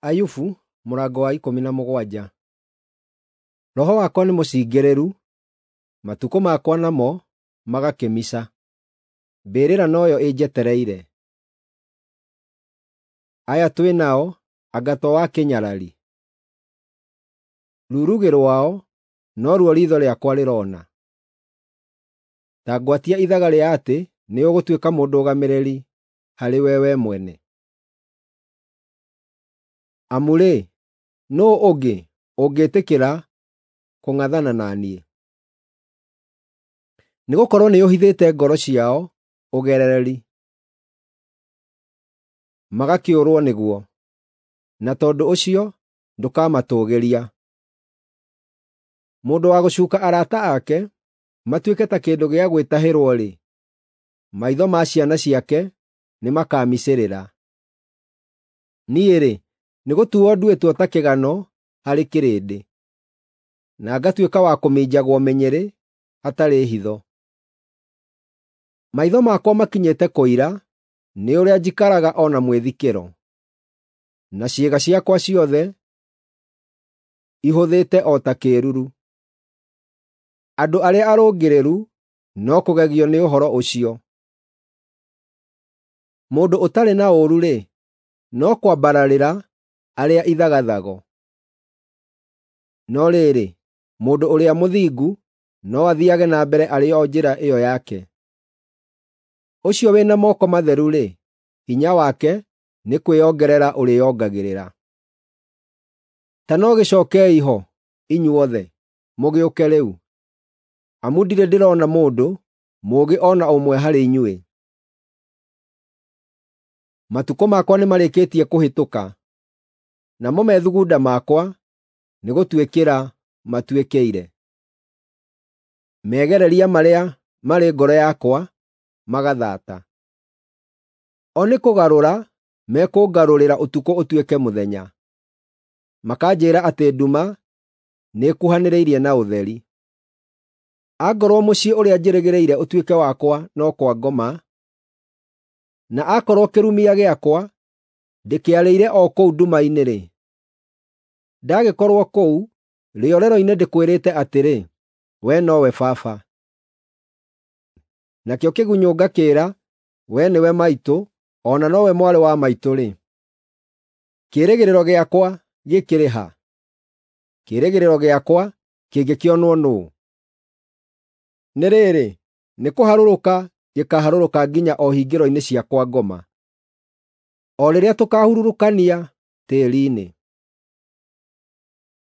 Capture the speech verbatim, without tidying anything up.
Ayubu mũrango wa ikũmi na mũgwanja. Roho wakwa nĩ mũcingĩrĩru, matukũ makwa namo magakĩmica. Mbĩrĩra noyo ĩnjetereire. Aya twĩ nao anga to wa kĩnyarari? Rurugĩ rwao noruo riitho rĩakwa rĩroona. Ta ngwatia ithaga rĩa atĩ nĩũgũtuĩka mũndũgamĩrĩri harĩwe wee mwene. Amu-rĩ, nũũ ũngĩ ũngĩĩtĩkĩra kũng'athana na niĩ? Nĩgũkorwo nĩũhithĩte ngoro ciao ũgerereri, magakĩũrwo nĩguo, na tondũ ũcio ndũkamatũũgĩria. Mũndũ wa gũcuuka arata ake matuĩke ta kĩndũ gĩa gwĩtahĩrwo-rĩ, maitho ma ciana ciake nĩmakamicĩrĩra. Niĩ-rĩ, nĩgũtuuo nduĩtwo ta kĩgano harĩ kĩrĩndĩ, na ngatuĩka wa kũminjagwo mĩnyĩrĩ hatarĩ hitho. Maitho makwa makinyĩte kũira nĩ ũrĩa njikaraga o na mwĩthikĩro, na ciĩga ciakwa ciothe ihũthĩte o ta kĩĩruru. Andũ arĩa arũngĩrĩru no kũgegio nĩ ũhoro ũcio. Mũndũ ũtarĩ na ũũru-rĩ, no kwambararĩra arĩa ithagathago. No rĩrĩ, mũndũ ũrĩa mũthingu no athiiage na mbere arĩ o njĩra ĩyo yake. Ũcio wĩ na moko matheru-rĩ, hinya wake nĩ kwĩongerera ũrĩĩongagĩrĩra. Ta no gĩcookei ho, inyuothe, mũgĩũke rĩu, amu ndirĩ ndĩrona mũndũ mũũgĩ o na ũmwe harĩ inyuĩ. Matukũ makwa nĩmarĩkĩtie kũhĩtũka, namo methugunda makwa nĩgũtuĩkĩra matuĩkĩire. Megereria marĩa marĩ ngoro yakwa magathata. O nĩ kũgarũra mekũngarũrĩra ũtukũ ũtuĩke mũthenya, makanjĩĩra atĩ nduma nĩĩkuhanĩrĩirie na ũtheri. Angorwo mũciĩ ũrĩa njĩrĩgĩrĩire ũtuĩke wakwa no kwa ngoma, na aakorwo kĩrumia gĩakwa ndĩkĩarĩire o kũu nduma-inĩ-rĩ, ndagĩkorwo kũu rĩorero-inĩ ndĩkwĩrĩte atĩrĩ, ‘Wee nowe Baba,’ nakĩo kĩgunyũ ngakĩĩra, ‘Wee nĩwe maitũ, o na nowe mwarĩ wa maitũ-rĩ,’ kĩĩrĩgĩrĩro gĩakwa gĩkĩrĩ ha? Kĩĩrĩgĩrĩro gĩakwa kĩngĩkĩonwo nũũ? Nĩ rĩrĩ, nĩkũharũrũka gĩkaharũrũka nginya o hingĩro-inĩ cia kwa ngoma, o rĩrĩa tũkaahurũrũkania tĩĩri-inĩ.